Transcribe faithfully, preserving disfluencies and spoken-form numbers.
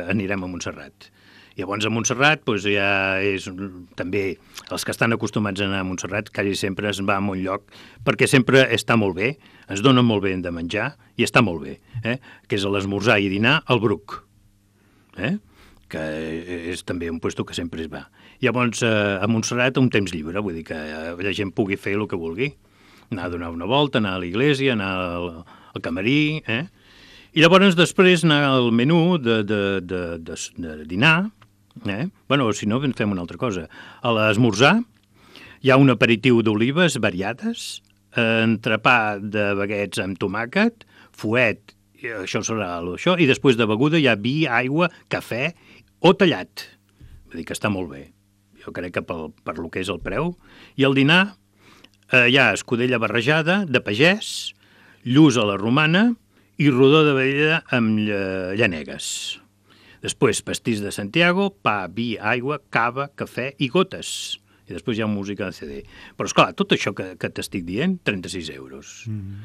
anirem a Montserrat. Llavors a Montserrat doncs, ja és també els que estan acostumats a anar a Montserrat quasi sempre es va a un lloc perquè sempre està molt bé, ens dona molt bé de menjar i està molt bé, eh? Que és l'esmorzar i dinar al Bruc, eh? Que és també un lloc que sempre es va. Llavors a Montserrat un temps lliure, vull dir que la gent pugui fer el que vulgui, anar a donar una volta, anar a l'església, anar al, al camarí, eh? I llavors després anar al menú de, de, de, de, de dinar. Eh? Bueno, si no, fem una altra cosa. A l'esmorzar hi ha un aperitiu d'olives variades, entrepà de baguets amb tomàquet, fuet, això serà això, i després de beguda hi ha vi, aigua, cafè o tallat. Vull dir que està molt bé. Jo crec que per, per lo que és el preu. I al dinar eh, hi ha escudella barrejada de pagès, lluç a la romana i rodó de vedella amb llanegues. Després, pastís de Santiago, pa, vi, aigua, cava, cafè i gotes. I després hi ha música de C D. Però, esclar, tot això que, que t'estic dient, trenta-sis euros. Mm-hmm.